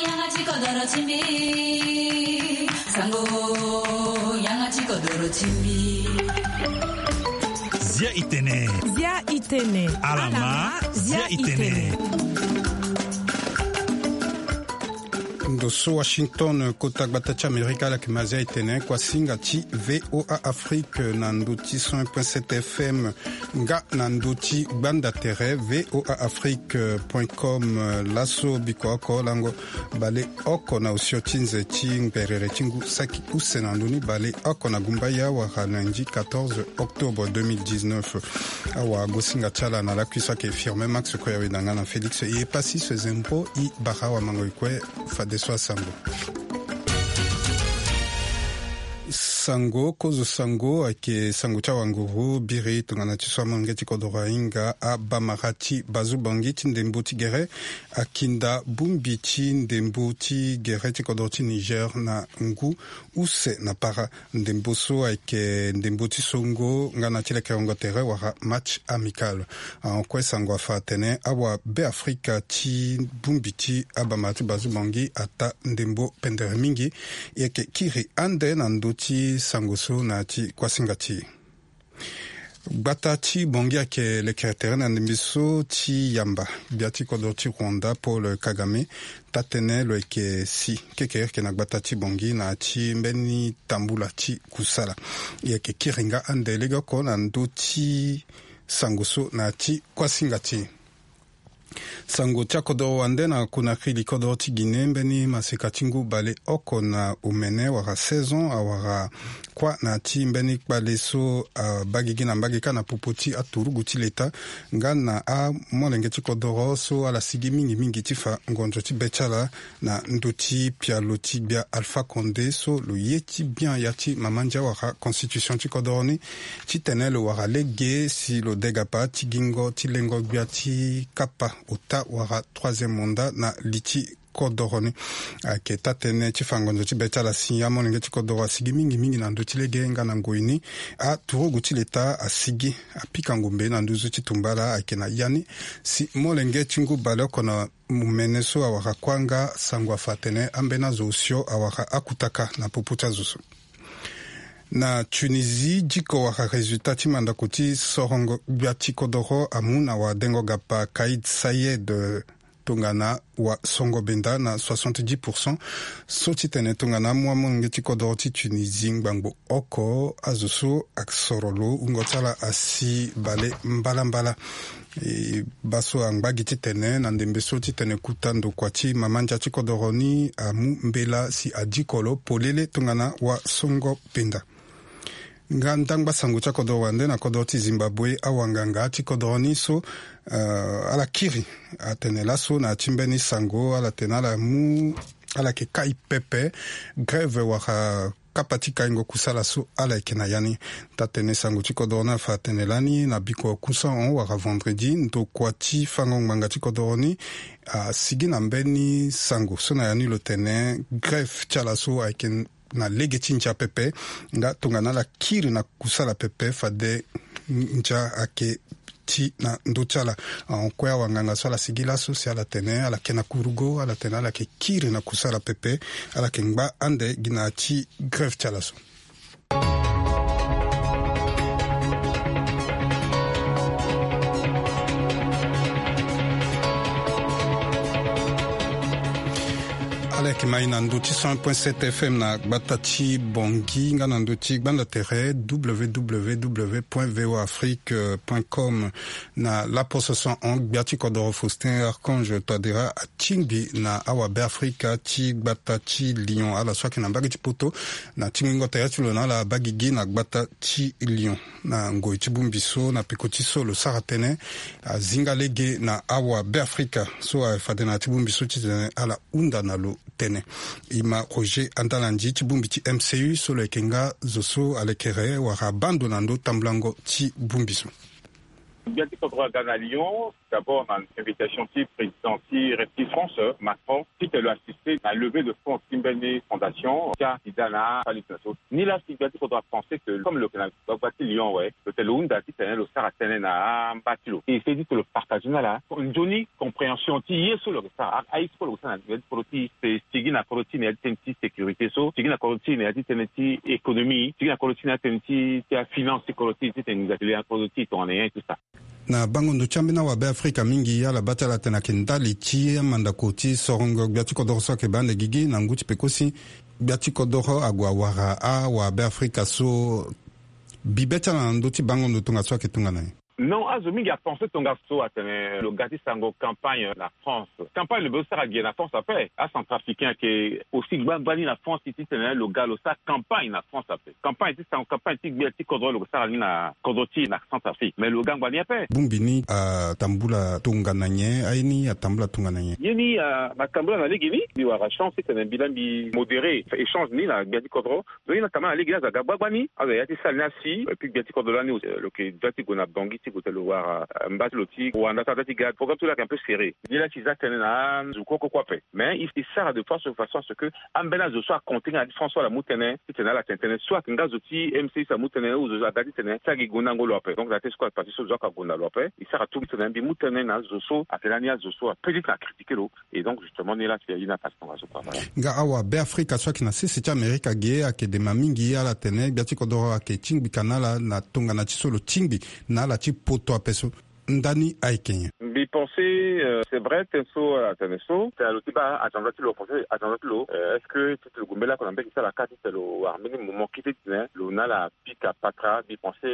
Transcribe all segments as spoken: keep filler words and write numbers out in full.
Yanga ti kodoro ti mbi. Sango, yanga ti kodoro ti mbi. Zia i tene. Zia i tene. Alama, zia i tene. Ndo so Washington, kota gbata ti Amerika, ala yeke ma zia i tene. Kuasinga ti V O A Afrique na ndo ti cent point sept F M, nga na ndo ti gbanda tere V O A Afrique point com. Laso biko oko lango bale oko na osio ti nze ti ngberere ti ngu saki use na ndoni bale oko na gumbaya wara lundi quatorze octobre deux mille dix-neuf. Awagosinga ti ala na lakui so ayeke Firmin Max Koyaweda nga na Félix Iyepasi so e zembro i bara awamango e kue. Fadeso asango. Sango, kozo sango ayeke sango ti awanguru biri tongana ti so amolenge ti kodoro ahinga abamara ti Bazubangi ti ndembo ti gere akinda bongbi ti ndembo ti gere ti kodoro ti Niger na ngu use na para. Ndembo so ayeke ndembo ti songo nga na ti lekerengo tere wara match amical. Ahon kue sango afa atene awabeafrika ti bongbi ti abamara ti Bazubangi ata ndembo pendere mingi. E yeke kiri ande na ndö ti sango so na ya ti kuasinga ti e. Gbata ti Bangui ayeke lekere tere na ndembe so ti yamba gbia ti kodro ti Rwanda Paul Kagame. Taa-tënë lo yeke si kekereke na gbata ti Bangui na ya ti mbeni tambula ti kusala. E yeke kiri nga ande legeoko na ndö ti sango so na ya ti kuasinga ti e. Sango ti akodoro wande na Conakry, li kodoro ti Guinée, mbeni maseka ti ngu baleoko na omene wala saison awara kuâ na ya ti mbeni kpale so abaa gigi na mbage kâ na popo ti aturugu ti leta nga na amolenge ti kodoro so ala sigi mingi mingi ti fa ngonzo ti be ti ala na ndö ti pialo ti gbia Alpha Condé so lo ye ti bian ya ti mama ndia wala constitution ti kodoro ni titene lo wara lege si lo degapa ti gingo ti lengo gbia ti kapa ota wala troisième mandat na li ti kodoro ni. Ayeke taa-tënë ti fa ngonzo ti be ti ala si amolenge ti kodoro asigi mingi mingi na ndö ti lege nga na ngoi ni aturugu ti leta asigi apika ngombe na nduzu ti tumbala ayeke na ya ni si molenge ti ngu baleoko na omene so awara kuâ nga sango afa atene ambeni azo osio awara akutaka na popo ti azo so. Na Tunisie, diko wala résultat ti mandako ti sorongo gbia ti kodoro amu na wadengo gapa Kaïd Sayed, tongana wasongo benda na soixante-dix pour cent. So ti tene tongana amu amolenge ti kodoro ti Tunisie ngbangbo oko, azo so asoro lo wungo ti ala asi bale mbalambala. E baa so angba gi titene na ndembe so titene kuta ndokua ti mama ndia ti kodoro ni amu mbela si adiko lo polele tongana wasongo penda. Nga ndangba sango ti akodoro wande na kodoro ti Zimbabwe, awanganga ti kodoro ni so, eh, ala kiri atene laso na ya ti mbeni sango ala tene ala mu ala yeke kai pepe grève wala kapa ti kaingo kusala so ala yeke na ya ni. Taa-tënë sango ti kodoro ni afa atene lani na biko kusahon wala vendredi ndokua ti fango ngbanga ti kodoro ni asigi na mbeni sango so na ya ni lo tene grève ti ala so ayeke na lege ti ndia pepe nga tongana ala kiri na kusala pepe fade ndia ayeke ti na ndö ti ala. Ahon kue awanganga so ala sigi laso si ala tene ala yeke na kurugo ala tene ala yeke kiri na kusala pepe. Ala yeke ngba ande gi na ya ti grève ti ala so. Ala yeke mai na ndö ti cent point sept F M na gbata ti Bangui nga na ndö ti gbanda tere W W W point V O A Afrique point com. Na laposo so ahon gbia ti kodoro Faustin Archange Touadéra atingbi na awabeafrika ti gbata ti Lyon ala so ayeke na mbage ti poto na tingbingo tere ti lo na ala abaa gigi na gbata ti Lyon. Na ngoi ti bongbi so na peko ti so lo sara tënë azinga lege na awabeafrika so ayeke fade na ya ti bongbi so titene ala hunda na lo tënë. E ma Roger Andalandi ti bongbi ti M C U so lo yeke nga zo so alekere wala abaa ndo na ndö tambulango ti bongbi so. Gbia ti kodro aga na Lyon. D'abord na invitation ti président ti rep ti France, Macron, ti tene lo assister na levée de fonds ti mbeni fondation ti asida na afali ti na so. Ni la si gbia ti kodro apenser que comme lo yeke na gbagba ti Lyon awe, lo tene lo hunda ti tene lo sara tënë na amba ti lo, e sedi ti lo partager na ala nzoni compréhension ti ye so lo yeke sara, aye so lo yeke sara na gbia ti kodro ti e sigi na kodro ti e na ya ti tënë ti sécurité so, sigi na kodro ti e na ya ti tënë ti économie, sigi na kodro ti e na ya ti tënë ti afinance ti kodro ti e ti tene nginza ti le na kodro ti e tongana nyen tout ça. Na bango ndo ti ambeni awabe afrika mingi ala baa ti ala tene ayeke ndali ti amandako ti sorongo gbia ti kodoro so ayeke baa ande gigi na ngu ti peko si gbia ti kodoro ague awara awabe afrika so. Bibe ti ala na ndö ti bango ndo tongaso ayeke tongana nyen? Non, azo mingi apenser tongaso atene lo ga ti sango campagne na France. Campagne lo be lo sara ge na France ape. Acentrafricain ayeke aussi gbangba ni na France ti tene lo ga lo sara campagne na France ape. Campagne ti sango campagne ti gbia ti kodro lo yeke sara ni na kodro ti e na Centrafrique, mais lo ga ngbani ape. Bongbi ni atambula tongana nyen? Aye ni atambula tongana nyen? Ye ni atambula na legeni. Mbi wara chance ti tene mbi laa mbi modérer échange ni na gbia ti kodro. Donc ye ni atambula na legeni, azo aga gbagba ni, azo ya ti sala ni asi. Et puis gbia ti kodro lani lo yeke dua ti gue na Bangui ti gue tene lo wara mba ti lo ti wanda ti aga ti ga programme ti lo ayeke un peu serré. Ni laa ti za tënë na azo kue kue kue ape. Mais e sara de façon façon à ce que ambeni azo so aconte nga na distance so ala mu tënë ti tene ala tene tënë so ayeke nga zo ti M C I so amu tënë ou zo aga ti tene ti agi gonda ngo lo ape. Donc na te so kue parti so zo aka gonda lo ape. E sara tout ti tene mbi mu tënë na azo so ayeke lani azo so apedit na critiquer lo. Et donc justement ni la si aye ni apasi tongaso kua. Nga awabe afrika so ayeke na sese ti amerika ge ayeke dema mingi ala tene gbia ti kodoro ayeke tingbi ka na ala na tongana ti so lo tingbi na ala ti poto ape so. Ndani ayeke nyen? Mbi pense c'est vrai tënë so ala tene so tene lo ti baa agenda ti lo français agenda ti lo. Est-ce que ti tene lo gue mbeni lako na mbege ti ala ka ti tene lo wara mbeni moment kete ti tene lo na ala pika patra? Mbi pense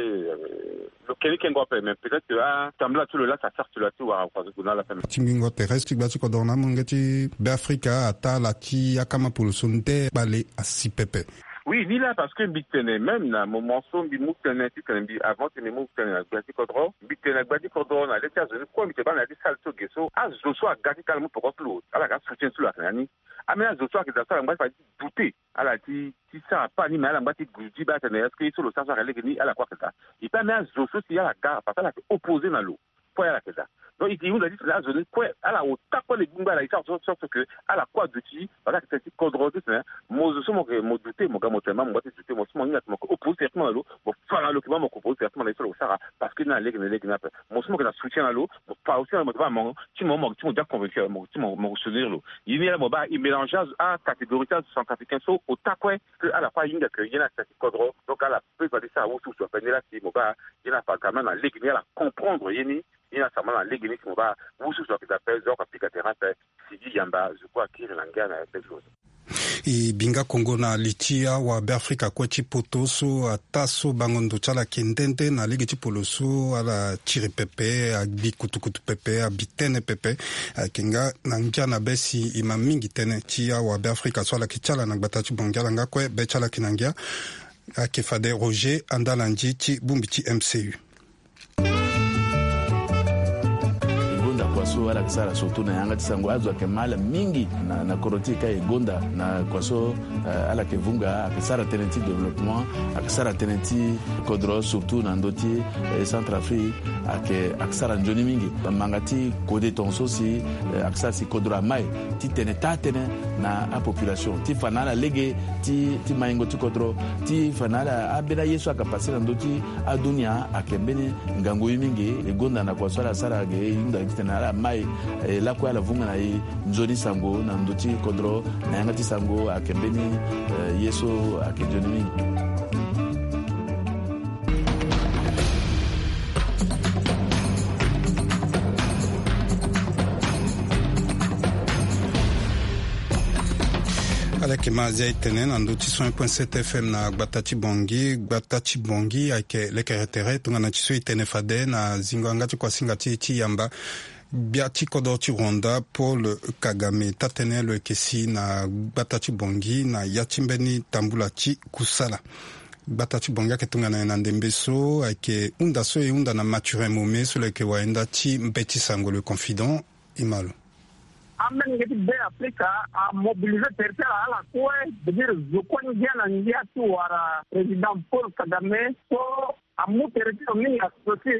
lo keni kengo ape mais peut-être que atambula ti lo laa sa sara ti lo laa ti wara français gue na ala ape. Tingbingo terrestre ti gbia ti kodoro na amolenge ti be afrika ataa ala ti akama polo so nde kpale asi pepe. Oui ni laa parce que mbi tene même na moment so mbi mu tënë ti tene mbi avant ti mbi mu tënë na gbia ti kodro mbi tene na gbia ti kodro na le ti azo ni kue mbi tene baa na ya ti sale so ge so azo so aga ti ka ala mu poko ti lo ala ga soutien ti lo ayeke na ni. Ambeni azo so ayeke daa so ala ngba ti fa ti doute ala ti ti sara pas ni mais ala ngba ti gudu ti baa tene est-ce que ye so lo sara so ayeke lege ni ala kue ayeke daa. Et puis ambeni azo so si ala ga parce que ala yeke opposé na lo. Kue ala yeke daa. Donc e ke hunda ti tene azo ni kue ala ota kue le gbingba ala e sara so so ke ala kue aduti. Parce que ayeke tene ti kodro ti tene mo zo so mo yeke mo doute mo ga mo tene ma mo ngba ti doute mo so mo hinga tene mo yeke opposé directement na lo mo fa na lo ke ma mo yeke opposé directement na ye so lo sara. Parce que ni na lege na lege ni ape mo so mo yeke na soutien na lo mo fa aussi na lo mo tene ma mo ti mo mo ti mo dia convaincu mo ti mo mo soutenir lo. Ye ni la mo baa e mélange acatégorie ti azo centrafricain so ota kue ke ala kue ahinga ke ye ni atene ti kodro. Donc ala peut va ti sara wusuwusu ape ni la si mo baa ye ni afa ga même na lege ni ala comprendre ye ni. Ye ni asara ma na lege ni si mo baa wusuwusu ayeke daa ape zo oko apika terrain ape. Sigi yamba zo kue akiri na ngia na ya ti zo. E bi nga kongo na li ti awabe afrika kue ti poto so ataa so bango ndo ti ala ayeke nde nde na lege ti polo so ala tiri pepe agbi kutukutu pepe abi tënë pepe. Ayeke nga na ngia na be si e ma mingi tënë ti awabe afrika so ala yeke ti ala na gbata ti bongi ala nga kue be ti ala yeke na ngia. Ayeke fade Roger Andalandi ti bongbi ti M C U. E gonda kua so ala yeke sara surtout na yanga ti sango azo ayeke ma ala mingi na, na kodro ti e ka e gonda na kua so, eh, ala yeke vunga ayeke sara tënë ti développement ayeke sara tënë ti kodro surtout na ndö ti, eh, Centrafrique. Ayeke ayeke sara nzoni mingi manga ti kode tongaso si, eh, ayeke sara si kodro amai ti tene taa tënë na apopulation ti fa na ala lege ti, ti maingo ti kodro ti fa na ala ambeni aye so ayeke pase na ndö ti adunia ayeke mbeni ngangu ye mingi. E gonda na kua so ala sara ge e hunda ti tene ala mai, eh, lakue ala vunga na e nzoni sango na ndö ti kodro na yanga ti sango ayeke mbeni, eh, ye so ayeke nzoni mingi. Ala yeke ma azia e tene na ndö ti cent un point sept F M na gbata ti bongi gbata ti bongi ayeke lekere tere tongana ti so e tene fade na zingo yanga ti kuasinga ti e ti yamba. Gbia ti kodro ti Rwanda Paul Kagame taa-tënë lo yeke si na gbata ti bongi na ya ti mbeni tambula ti kusala. Gbata ti bongi ayeke tongana nyen na ndembe so ayeke hunda so e hunda na Mathurin Mome so lo yeke wayenda ti mbeti sango Le Confident. E ma lo. Amolenge ti Be Afrika amobilize tere ti ala ala kue, c'est-à-dire zo kue ngia na ngia ti wara président Paul Kagame so Amu tere ti lo mingi aso si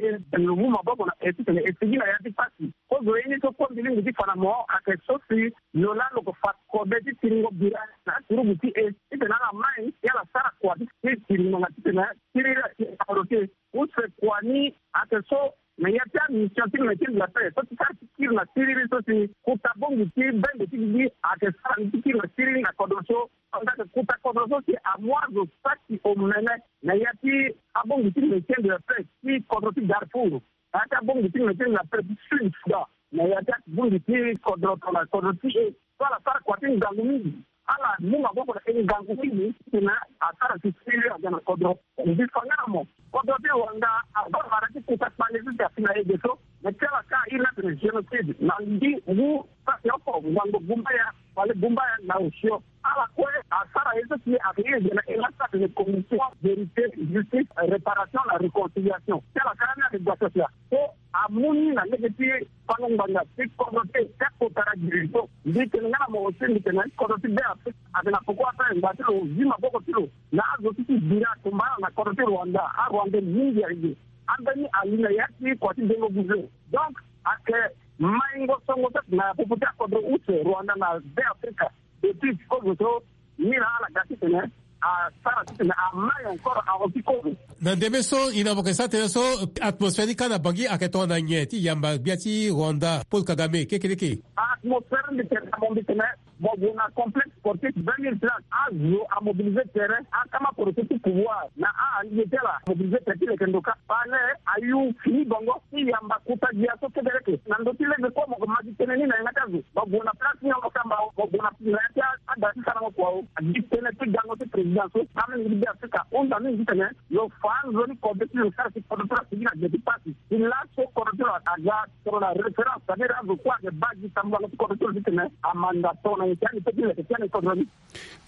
lo mu maboko na e titene e sigi na ya ti pasi. Kozo ye ni so kue mbi lingbi ti fa na mo ayeke so si lo laa lo ko fa kode ti tiringo bira na aturugu ti e titene ala mai ti ala sara kua ti tiringo na titene siriri atiri na kodro ti e. Use kua ni ayeke so na ya ti amission ti Maintien de la Paix so ti sara ti kiri na siriri so si kota bongbi ti bendo ti gigi ayeke sara ni ti kiri na siriri na kodro so. Anga yeke kota kodro so si amu azo saki omene na ya ti abongbi ti Maintien de la Paix ti kodro ti Darfour, na ya ti abongbi ti Maintien de la Paix ti Sud Soudan, na ya ti abongbi ti kodro tongana kodro ti e so ala sara kua ti ngangu mingi. Ala mu maboko na e ngangu mingi titene asara si siriri aga na kodro. Mbi fa nga na mo kodro ti Rwanda abaa mara ti kota kpale so si afi na ege so. Mais ti ala ka airi ni atene génocide na mbi ngu saki oko ngangu gumbaya wala gumbaya na osio. Ala kue asara ye so si ayeke iri ege na e laa so atene commission vérité, justice, réparation na réconciliation. Ti ala ka ni ayeke gba so si a so amu ni na lege ti fango ngbanga ti kodro ti e ti akota na giri so. Mbi tene nga na mo aussi mbi tene kodro ti Be Afrika ayeke na poko ape ngba ti lo zi maboko ti lo na azo ti ti bira atumba ala na kodro ti Rwanda. Arwandais mingi ayeke ambeni ali na ya ti kua ti dengo buze. Donc ayeke maingo songo so na popo ti akodro use Rwanda na Be Afrika. Depuis ti kozo so ni na ala ga titene asara titene amai encore ahon ti kozo. Na ndembe so e na mo yeke sara tënë so atmosphère ni kâ na Bangui ayeke tongana nyen ti yamba gbia ti Rwanda Paul Kagame kekeleke? Atmosphère mbi tene na mo mbi tene mo gue na complexe sportif vingt mille places. Azo amobiliser tere, akama koroso ti pouvoir na alege ti ala amobiliser tere ti leke ndo kâ. Palais ayu fini bango ti yamba kota gbia so kekeleke. Na ndö ti lege kue mo yeke ma gi tënë ni na yanga ti azo. Mo gue na place ni mo samba o, mo gue na ya ti ada ti sarango kua o. Gi tënë ti gango ti président so amolenge ti Be Afrika ahunda mingi titene lo fa nzoni kodro ti lo sara si kodro ti lo asigi na gbe ti pasi. Ti laso kodro ti lo aga tongana référence, c'est-à-dire azo kue ayeke baa gi sambela ti kodro ti lo titene amanda tongana nyen ti ani pe ti leke ti ani kodro ni.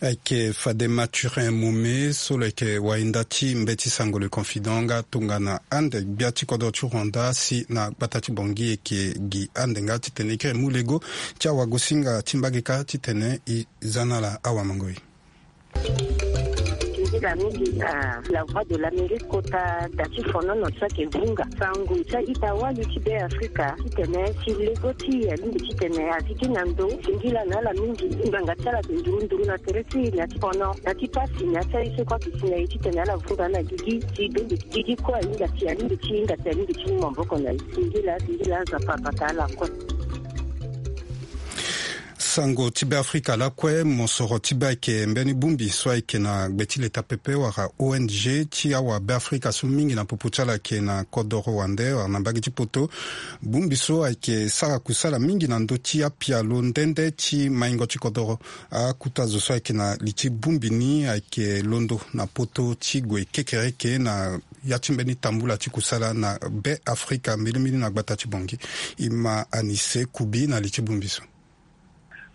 Ayeke fade Mathurin Mome so lo yeke wahinda ti mbeti sango Le Confident nga tongana ande gbia ti kodro ti Rwanda si na gbata ti Bangui e yeke gi ande nga titene e kiri mu lego ti awagosinga ti mbage kâ titene e za na ala awamangoi. Nzila mingi na La Voix de l'Amérique kota da ti fonono so ayeke vunga sango ti a-ita wali ti Be Afrika titene si lego ti e alingbi titene azi gi na ndo. Singila na ala mingi ngbanga ti ala ayeke nduru nduru na tere ti e na ya ti fono na ti pasi na ya ti aye so kue ayeke si na e titene ala vunga na gigi si bembe gigi kue ahinga si alingbi ti hinga si alingbi ti mu maboko na e. Singila singila Nzapa abata ala kue. Sango ti Beafrika lakue, mosoro ti be ayeke mbeni bongbi so ayeke na gbe ti leta pepe wala O N G ti awa Beafrika so mingi na popo ti ala ayeke na kodoro wande wala na mbage ti poto. Bongbi so ayeke sara kusala mingi na ndö ti apialo nde nde ti maingo ti kodoro. Akota zo so ayeke na li ti bongbi ni ayeke londo na poto ti gue kekereke na ya ti mbeni tambula ti kusala na Beafrika mbilimbili na gbata ti Bangui. E ma Anise Kubi na li ti bongbi so.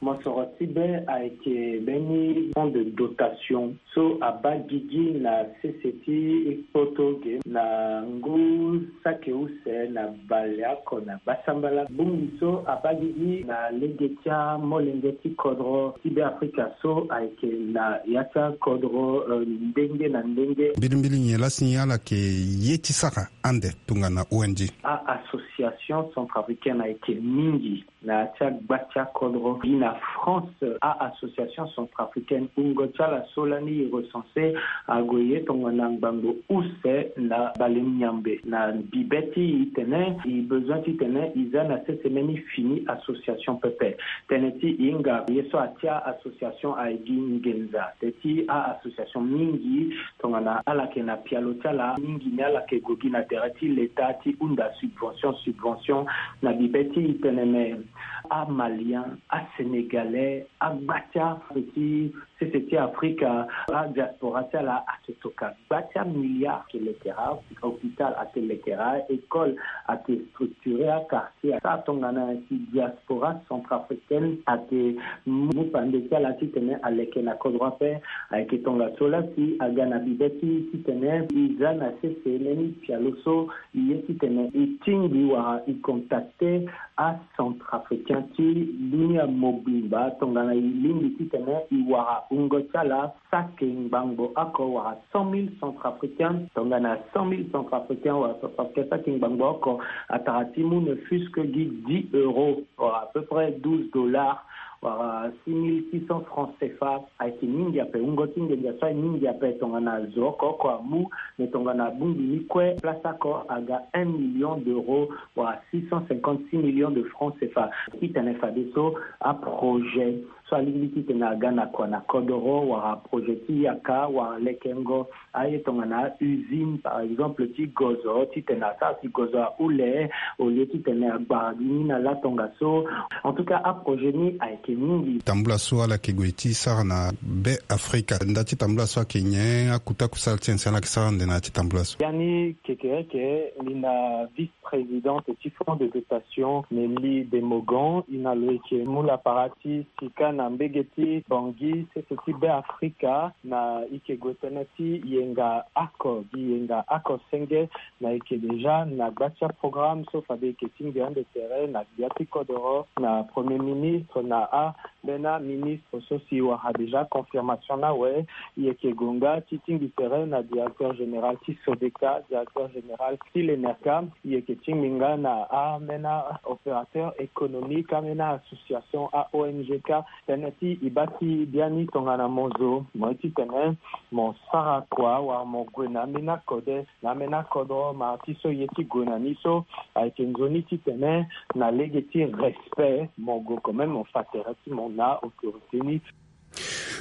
Mosoro ti be ayeke mbeni fonds de dotation so abaa gigi na sese ti poto ge na ngu saki use na baleoko na gbasambala. Bongbi so abaa gigi na lege ti amolenge ti kodro ti Beafrika so ayeke na ya ti akodro, eh, ndenge na ndenge. Mbilimbili nyen laa si ala yeke ye ti sara ande tongana O N G? A-association centrafricaine ayeke mingi na ya ti agba ti akodro. Gi na France, a-association centrafricaine wungo ti ala so lani e recenser ague ye tongana ngbangbo use na bale miambe. Na bibe ti e tene e besoin titene e za na sese mbeni fini association pepe. Tënë ti e hinga ye so atia association aye gi nginza. Tënë ti a-association mingi tongana ala yeke na pialo ti ala mingi ni ala yeke gue gi na tere ti leta ti hunda subvention, subvention. Na bibe ti e tene me, amalien, asénégalais, agba ti azo ti sese ti Afrika, adiaspora ti ala ayeke tokua gba ti amilliard ti lekera, hôpital ayeke lekera, école ayeke structuré, aquartier. Asara tongana si diaspora centrafricaine ayeke mu pande ti ala titene aleke na kodro ape. Ayeke tongaso laa si aga na bibe ti e titene e za na sese mbeni pialo so e ye titene e tingbi wala e contacter acentrafricain. Ti dunia mobimba tongana e lingbi titene e wara wungo ti ala saki ngbangbo oko wala cent mille centrafricains. Tongana cent mille centrafricains wala centrafricains saki ngbangbo oko, atara ti mu ne fût-ce que gi dix euros wala à peu près douze dollars wala six mille six cents francs C F A. Ayeke mingi ape, wungo ti nginza so aye mingi ape tongana zo oko oko amu. Mais tongana bongbi ni kue, place oko aga un million d'euros wala six cent cinquante-six millions de francs C F A. Titene fadeso aprojet so alingbi titene aga na kua na kodoro wala projet ti yaka wala lekengo aye tongana usine par exemple ti gozo titene asara si gozo ahule au lieu titene agbara gi ni na la tongaso. En tout cas aprojet ni ayeke mingi. Tambula so ala yeke gue ti sara na be Afrika, nda ti tambula so ayeke nyen? Akuta kusala ti nyen si ala yeke sara ande na ya ti tambula so? Biani Kekereke ni na vice présidente ti fonds de dotation Nelly Demogan, e na lo e yeke mu lapara ti sika na mbege ti Bangui sese ti Be Afrika, na e yeke gue tënë ti yenga oko gi yenga oko senge. Na e yeke déjà na gba ti aprogramme so fade e yeke tingbi ande tere na gbia ti kodoro na premier ministre na a mbeni aministre so si e wara déjà confirmation ni awe. E yeke gue nga ti tingbi tere na directeur général ti Sodeka, directeur général ti l'ENERCA. E yeke tingbi nga na ambeni aopérateur économique, ambeni association, a-O N G ka, tënë ti e baa ti biani tongana mo zo mo ye titene mo sara kua wala mo gue na ambeni akode na ambeni akodro. Ma ti so e ye ti gue na ni so ayeke nzoni titene na lege ti respect mo gue quand même mo fa tere ti mo na autorité ni.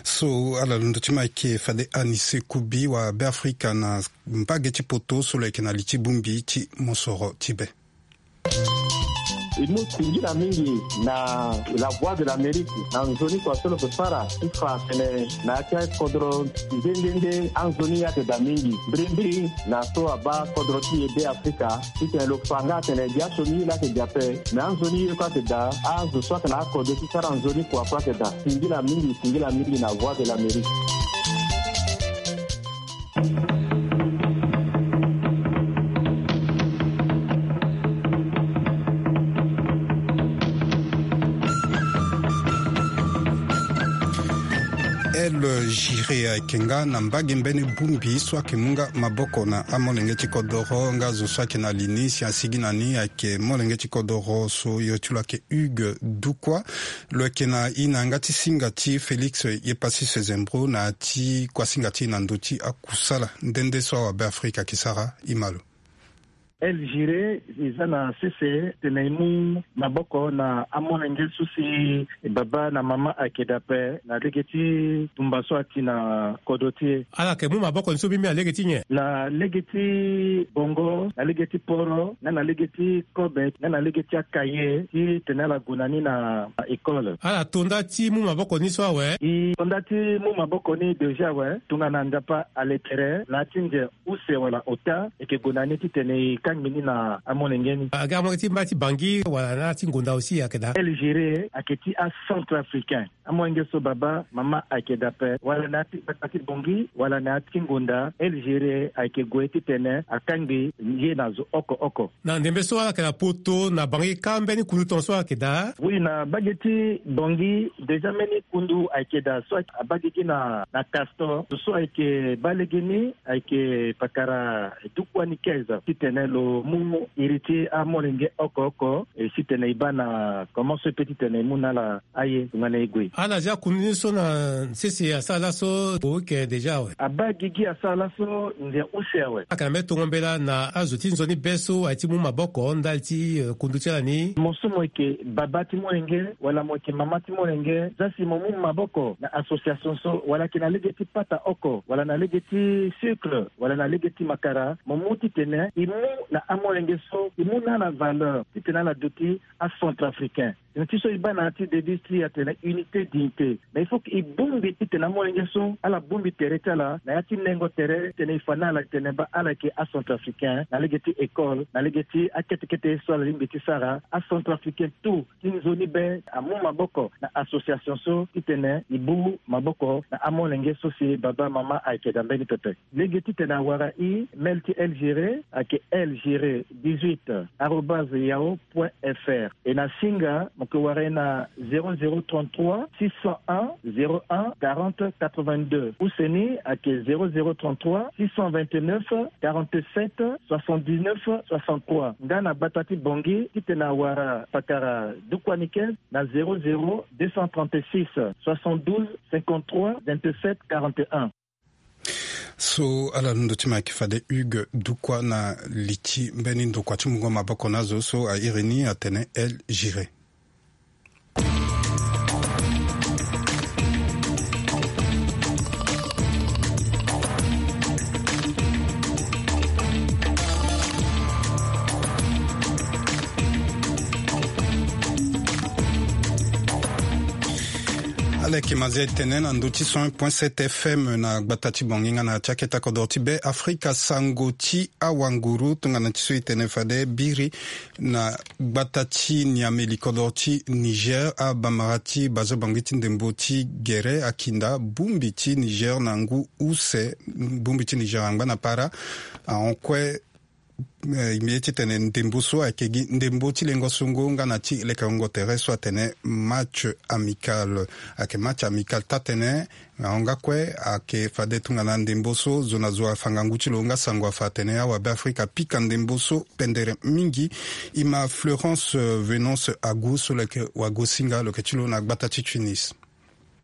So ala londo ti ma ayeke fade Anise Kubi wa Be Afrika na mbage ti poto so lo yeke na li ti bongbi ti mosoro ti be. E mu singila mingi na La Voix de l'Amérique na nzoni kua so lo yeke sara ti fa atene na ya ti akodro nde nde nde anzoni ayeke daa mingi mbirimbiri na so abaa kodro ti e Be Afrika titene lo fa nga atene gi asioni ye laa ayeke daa ape. Me anzoni ye kue ayeke daa, azo so ayeke na akode ti sara nzoni kua kue ayeke daa. Singila mingi, singila mingi na Voix de l'Amérique. El Giré ayeke nga na mbage mbeni bongbi so ayeke mu nga maboko na amolenge ti kodoro nga zo so ayeke na li ni si asigi na ni ayeke molenge ti kodoro so iri ti lo ayeke Hugues Dukwa. Lo yeke na e na yanga ti singa ti Félix Yepassis Zembro na ya ti kuasinga ti e na ndö ti akusala nde nde so awa Be Afrika ayeke sara. E ma lo. El Giré, e za na sese tene e mu maboko na amolenge so si baba na mama ayeke daa ape na lege ti tumba so ati na kodro ti e. Ala yeke mu maboko ni so mbi mbi na lege ti nyen? Na lege ti bongo, na lege ti poro, nga na lege ti kobe, nga na lege ti akaye titene ala gue na ni na école. Ala to nda ti mu maboko ni so awe? E to nda ti mu maboko ni déjà awe, tongana Nzapa ale tere na ya ti nze use wala ota, e yeke gue na ni titene e kangbi ni na amolenge ni. Aga amolenge ti mba ti Bangui wala na ya ti ngonda aussi ayeke daa? El Giré ayeke ti acentrafricain. Amolenge so baba, mama ayeke daa ape, wala na ya ti gbata ti Bangui wala na ya ti ngonda, El Giré ayeke gue titene akangbi ye na zo oko oko. Na ndembe so ala yeke na poto na Bangui kâ mbeni kundu tongaso ayeke daa? Oui, na mbage ti Bangui déjà mbeni kundu ayeke daa so abaa gigi na, na Castor. Zo so ayeke baa legeni ayeke pakara Dukwa Nikez titene lo mu iri ti amolenge oko oko, e, titene e baa na comment so e peut titene e mu na ala aye tongana e gue. Ala zia kundu ni so na sese asara laso, o yeke déjà awe? Abaa gigi asara laso nze use awe. Ayeke na mbeni tongo mbela na azo ti nzoni be so aye ti mu maboko ndali ti, eh, kundu ti ala ni? Mo so mo yeke baba ti molenge wala mo yeke mama ti molenge, zia si mo mu maboko na association so, wala ayeke na lege ti pata oko wala na lege ti sucre wala na lege ti makara, mo mu titene e mu na amolenge so, e mu na ala valeur titene ala duti acentrafricain. Tene ti so e baa na ya ti devise ti e atene unité, dignité. Mais il faut que e bongbi titene amolenge so ala bongbi tere ti ala na ya ti nengo tere titene e fa na ala titene baa ala yeke acentrafricain na lege ti école, na lege ti akete kete so ala lingbi ti sara. Acentrafricain tout ti nzoni be amu maboko na association so titene e bu maboko na amolenge so si baba mama ayeke daa mbeni pepe. Lege titene awara e, mail ti El Giré ayeke L Giré dix-huit arobase yahoo point F R. E na singa Mo ke wara e na zéro zéro trente-trois six cent un zéro un quarante quatre-vingt-deux. Useni ayeke zéro zéro trente-trois six cent vingt-neuf quarante-sept soixante-dix-neuf soixante-trois. Nga na gbata ti Bangui titene awara fakara dukua ni kese na zéro zéro deux cent trente-six soixante-douze cinquante-trois vingt-sept quarante-un. So ala londo ti ma yeke fade Hugues Dukua na li ti mbeni ndokua ti mungo maboko na azo so a iri ni atene El Giré. Ala yeke ma zia e tene na ndö ti cent un point sept F M na gbata ti Bangui nga na ya ti akete kodoro ti Be Afrika, sango ti awanguru tongana ti so e tene fade biri na gbata ti Niamey li kodoro ti Niger, abamara ti bazo Bangui ti ndembo ti gere akinda bongbi ti Niger na ngu use. Bongbi ti Niger angba na para ahon kue. Eh, mbi ye titene ndembo so ayeke gi ndembo ti lengo songo nga na ti lekerengo tere so atene match amical. Ayeke match amical taa-tënë. Ahon nga kue ayeke fade tongana ndembo so zo na zo afa ngangu ti lo nga sango afa atene awabe Afrika apika ndembo so pendere mingi. E ma Florence, eh, Venance Agu so lo yeke wagosinga lo yeke ti lo na gbata ti Tunis.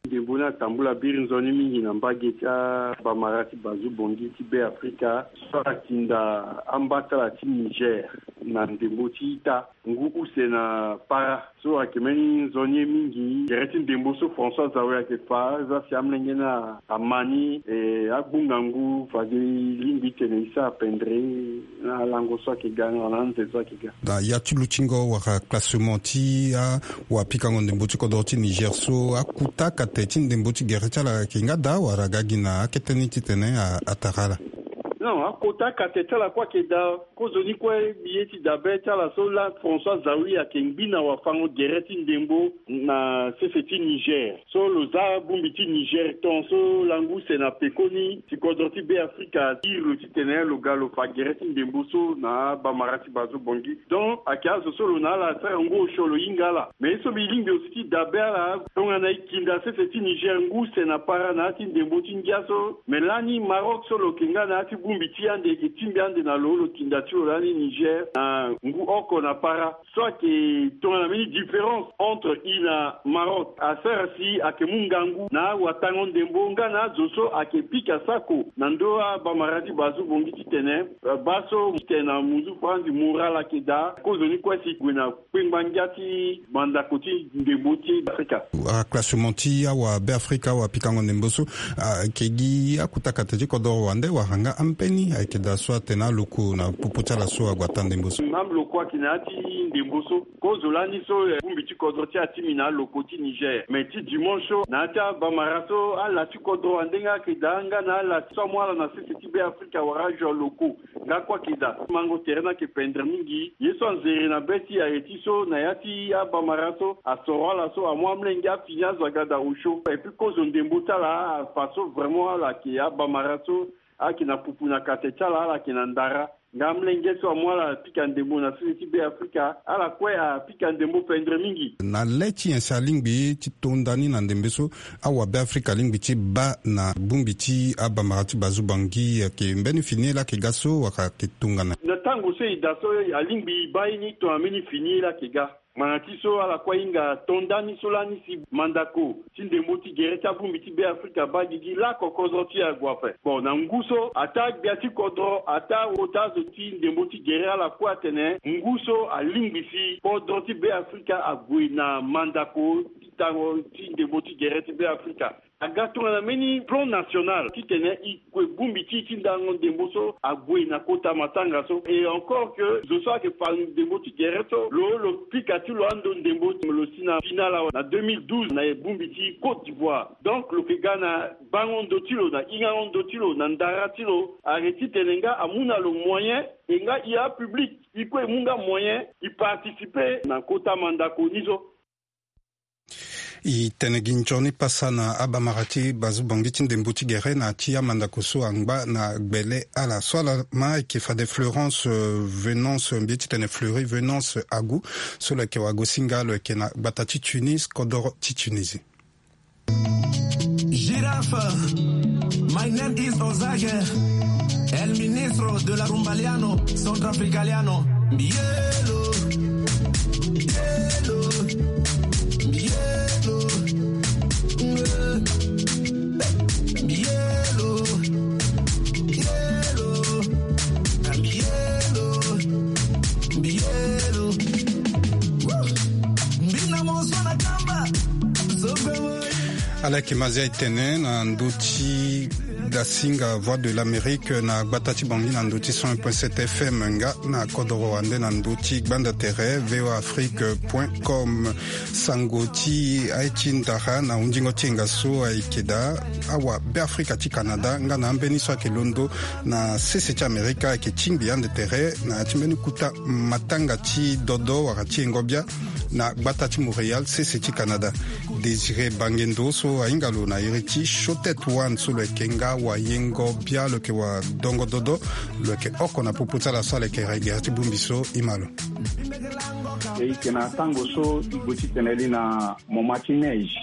Ndembo ni atambula biri nzoni mingi na mbage ti abamara ti bazu bongi ti Be Afrika so atinda ambatala ti Niger na ndembo ti ita ngu use na para. So ayeke mbeni nzoni ye mingi. Gere ti ndembo so François Zawi ayeke fa, za si amolenge ni ama ni, e, agbunga ngu fade e lingbi tene e sara pendere na alango so ayeke ga nga na anze so ayeke ga. Na ya ti lutingo wala classement ti awapikango ndembo ti kodro ti Niger so, akota kate ti ndembo ti gere ti ala ayeke nga daa wala aga gi na akete ni titene a, atara ala? Non, akota kate ti ala kue ayeke daa. Kozoni kue mbi ye ti dabe ti ala so laa François Zawi ayeke ngbi na wafango gere ti ndembo na sese ti Niger. So lo za bongbi ti Niger ton so lango use na pekoni si kodro ti Be Afrika iri lo titene lo ga lo fa gere ti ndembo so na abamara ti bazo bongi. Donc ayeke azo so lo na ala asara ngu osio lo hinga ala. Me ye so mbi lingbi aussi ti dabe ala tongana e kinda sese ti Niger ngu use na para na ya ti ndembo ti ngia so. Me lani Maroc so lo yeke nga na ya ti bongbi ti ande e yeke tingbi ande na lo, lo tinda ti lo lani Niger na ngu oko na para. So ayeke tongana mbeni différence entre e na Maroc asara si ayeke mu ngangu na awatango ndembo nga na azo so ayeke pika sako na ndö abamara ti bazu bongi titene, eh, baa so titene na muzu franzi moral ayeke daa. Kozoni kue si gue na kpengba ngia ti mandako ti ndembo ti Afrika. Aclassement ti awabe Afrika, awapikango ndembo so, ah, ayeke gi akota kate ti kodoro wande wala nga ambeni ayeke daa so atene aloko na popo ti ala so ague ata ndembo so? Même loko ayeke na ya ti ndembo so. Kozo lani so, eh, bongbi ti kodro ti atimi na aloko ti Niger. Mais ti dimanche so na ya ti abamara so ala ti kodro wande nga ayeke daa nga na ala so amu ala na sese ti Be Afrika wala azo aloko. Nga kue ayeke daa. Mango tere ni ayeke pendere mingi. Ye so anzere na be ti aye ti so na ya ti abamara so asoro ala so amu amolenge afini azo aga daa osio. Et puis kozo ndembo ti ala afa so vraiment ala yeke abamara so ayeke na pupu na kate ti ala, ala yeke na ndara. Nga amolenge so amu ala apika ndembo na sese ti Be Afrika, ala kue apika ndembo pendere mingi. Na le ti nyen si alingbi ti to nda ni na ndembe so? Awabe Afrika alingbi ti baa na bongbi ti abamara ti bazu bangi, ayeke mbeni fini ye laa ayeke ga so wala ayeke tongana? Na tango so e daa so alingbi e baa ye ni tongana mbeni fini ye laa ayeke ga. Ngbanga ti so ala kue ahinga to nda ni so lani si mandako ti ndembo ti gere ti abongbi ti Be Afrika baa gigi lako kodro ti e ague ape. Bon, na ngu so ataa gbia ti kodro, ataa ota azo ti ndembo ti gere, ala kue atene ngu so alingbi si kodro ti Be Afrika ague na mandako ti tango ti ndembo ti gere ti Be Afrika. Aga tongana mbeni plan national titene e kue bongbi ti e ti ndango ndembo so ague na kota matanga so. Et encore que zo so ayeke fa ndembo ti gere so, lo, lo pika ti lo ando ndembo, lo si na finale awe na deux mille douze na bongbi ti Côte d'Ivoire. Donc lo yeke ga na bango ndo ti lo, na hingango ndo ti lo, na ndara ti lo, ayeke titene nga amu na lo moyen, e nga e apublic e kue e mu nga moyen e participer na kota mandako ni so. E tene gi nzoni pasa na abamara ti bazu bongi ti ndembo ti gere na ti amandako so angba na gbele ala so ala ma ayeke fade Florence, euh, Venance, mbi ye ti tene Fleury Venance Agu, so lo yeke wagosinga lo yeke na gbata ti Tunis, kodoro ti Tunisie. Giraffe, my name is Ozage, el ministro de la Rumbaliano, Centrafricaliano. Mbielo, mbielo, mbielo, mbielo, mbielo, mbielo, mbielo. Woo! Mbina mo so na kamba. Ala yeke ma zia e tene na ndö ti dasinga Voix de l'Amérique na gbata ti Bangui na ndö ti cent un point sept F M nga na kodoro wande na ndö ti gbanda tere V O A Afrique point com. Sango ti aye ti ndara na hundingo ti yenga so ayeke daa awabeafrika ti Canada nga na ambeni so ayeke londo na sese ti Amerika ayeke tingbi ande tere na ya ti mbeni kota matanga ti dodo wala ti yengo bia na gbata ti Montréal, sese ti Canada. Désiré Bangendo so ahinga lo na iri ti Chotet One so lo yeke nga wayengo bia, lo yeke wadongo dodo, lo yeke oko na popo ti ala so ala yeke regere ti bongbi so e ma lo. E yeke na tango so e gue ti tene li na moment ti neige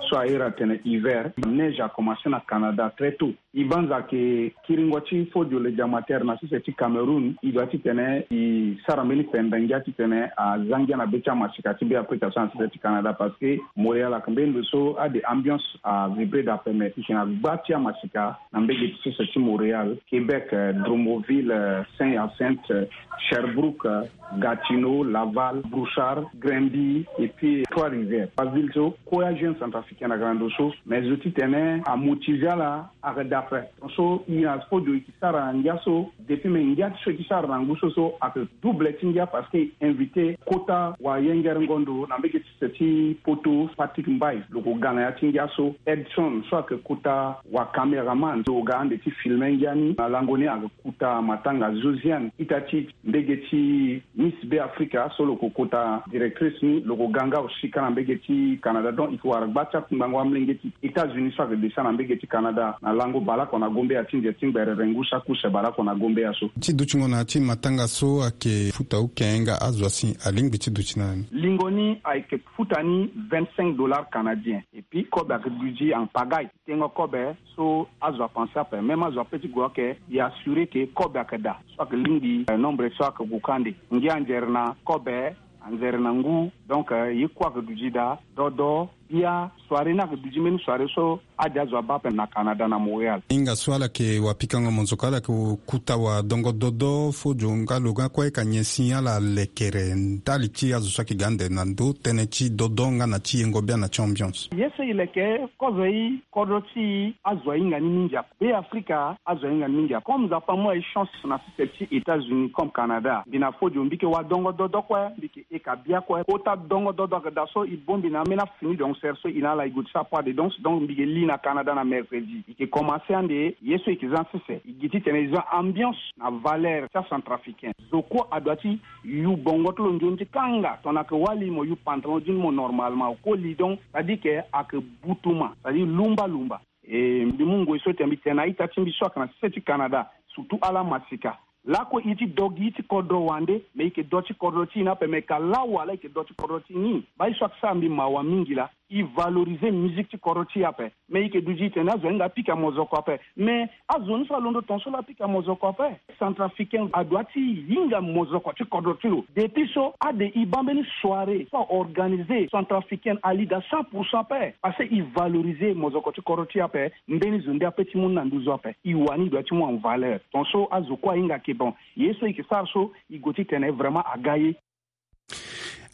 so a iri atene hiver. Neige a commencé na Canada très tôt. E banza ke kiringo ti Fodio le Diamater na sese ti Cameroun, e doit ti tene e sara mbeni pembe ngia ti tene aza ngia na be ti amasika ti Beafrika so na sese ti Canada, parce que Montréal ayeke mbeni ndo so ade ambiance a vibré daa ape, mais e yeke na gba ti amasika na mbage ti sese ti Montréal, Québec, euh, Drummondville, euh, Saint-Hyacinthe, euh, Sherbrooke, euh, Gatineau, Laval, Brossard, Granby, et puis Trois-Rivières. Baville so, kue ajeune centrafricain ayeke na ndo so, mais zo ti tene amotivé ala ayeke daa ape. Tongaso e na Fodio e yeke sara ngia so, depuis me ngia ti so e yeke sara na ngu so so ayeke double ti ngia, parce que e invité kota wayengere ngondo na mbage ti sese ti Poto, Patrick Mbaye, lo ko ga na ya ti ngia so, Edson so ayeke kota wacaméraman, lo ko ga ande ti filme ngia ni. Na lango ni ayeke kota matanga Josiane, ita ti mbage ti Miss Beafrika so lo ko kota directrice ni, lo ko ga nga aussi ka na mbage ti Canada. Donc e yeke wara gba ti akungbango amolenge ti États-Unis so ayeke desa na mbage ti Canada na lango baleoko na gombeya ti nze ti ngbere rengu saki use baleoko na gombeya so. Ti dutingo na ya ti matanga so ayeke futa uke nga azo asi alingbi ti duti na ni. Lingo ni ayeke futa ni vingt-cinq dollars canadiens. Et puis kobe ayeke duti en pagaille. Tengo kobe so azo apanse ape, même azo ape ti gue ayeke, e assuré ke kobe ayeke daa. So ayeke lingbi, eh, nombre so ayeke gue kande. Ngia anzere na kobe, anzere na ngu. Donc, eh, ye kue ayeke duti daa. Dodo, bia, soirée ni ayeke duti mbeni soirée so ade azo abaa ape na Canada na Montréal. Hinga so ala yeke wapikango mozoko, ala yeke kota wadongo dodo, Fodio nga lo nga kue ayeke anyen si ala lekere ndali ti azo so ayeke ga ande na ndö tënë ti dodo nga na ti yengo bia na ti ambiance. Ye so e leke, kozo i, kodro ti i, azo ahinga ni mingi ape. Beafrika, azo ahinga ni mingi ape. Comme Nzapa amu aye chance na sese ti États-Unis comme Canada, mbi na Fodio mbi yeke wadongo dodo kue, mbi yeke e ka bia kue. Kota dongo dodo ayeke daa so e bongbi na ambeni afini de concert so e na ala e gue ti sara pas de danse. Donc mbi yeke li na Canada na mercredi. E yeke commencé ande ye so e yeke za na sese. E gi titene e za ambiance na valeur ti acentrafricain. Zo kue adoit ti yu bongo ti lo nzoni ti kanga, tongana ayeke wali mo yu pantalon ti ni mo normalement, okoli donc, c'est-à-dire que ayeke butuma, c'est-à-dire lumba lumba. E mbi mu ngoi so tene mbi tene na a-ita ti mbi so ayeke na sese ti Canada, surtout ala masika. Lakue e ti do gi ti kodro wande, me e yeke do ti kodro ti e ni ape, me ka lawala e yeke do ti kodro ti e ni. Baa ye so ayeke sara mbi mawa mingi laa, e valoriser musique ti kodro ti e ape. Me e yeke duti e tene azo ahinga apika mozoko ape. Me azo ni so alondo tongaso laa apika mozoko ape. Centrafricain adoit ti hinga mozoko ti kodro ti lo. Depuis so ade e baa mbeni soirée so a organiser, centrafricaine ali daa cent pour cent ape. Parce que e valoriser mozoko ti kodro ti e ape. Mbeni zo nde ape ti mu ni na nduzu ape. E wani e doit ti mu en valeur. Tongaso azo kue ahinga ke bon, ye so e yeke sara so e gue ti tene vraiment aga ye.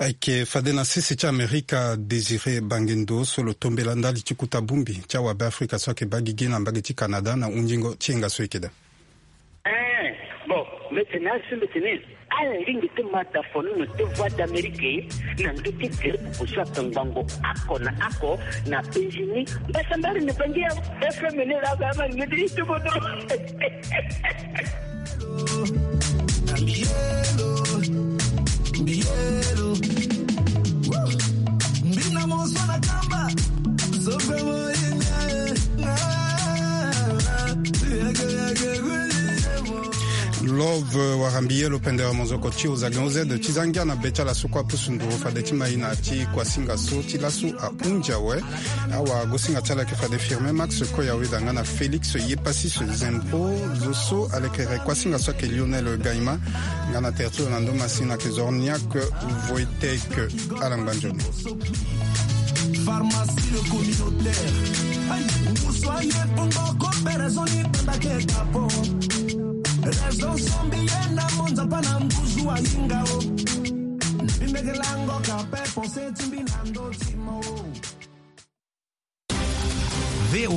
Ayeke fade na sese ti Amerika, Désiré Bangendo so lo tombela ndali ti kota bongbi ti awabeafrika so ayeke baa gigi na mbage ti Canada na hunzingo ti yenga so e yeke daa. Eh, bon, mbi tene asi mbi tene ala lingbi ti ma dafono na ti Voix d'Amérique na ndö ti gere pupu so ayeke ngbongo oko na oko na penzi ni. Mbasambari na bangi ya F M ni laa ba ma ngedi ti bodo. Love, eh, wara mbi ye lo pendere monzoko ti ozagen ozed ti za ngia na be ti ala so kue apusu nduru fade ti ma ina ti kuasinga so ti lasu ahunzi awe. Awagosinga ti ala yeke fade Firmin Max Koyaweda nga na Félix Yepasis Zempro, zo so alekere kuasinga so ayeke Lionel Gaima, nga na tere ti lo na ndo masina ayeke Zorniak Voitek. Ala ngba nzoni. Pharmacie le communautaire. Ngusu aye pongo ko pe raison ni tanda ke kapo. Raison sombi ye na monza pa na ngusu ayinga o. Bimeke lango ka pe pense timbi na ndo timo. V O A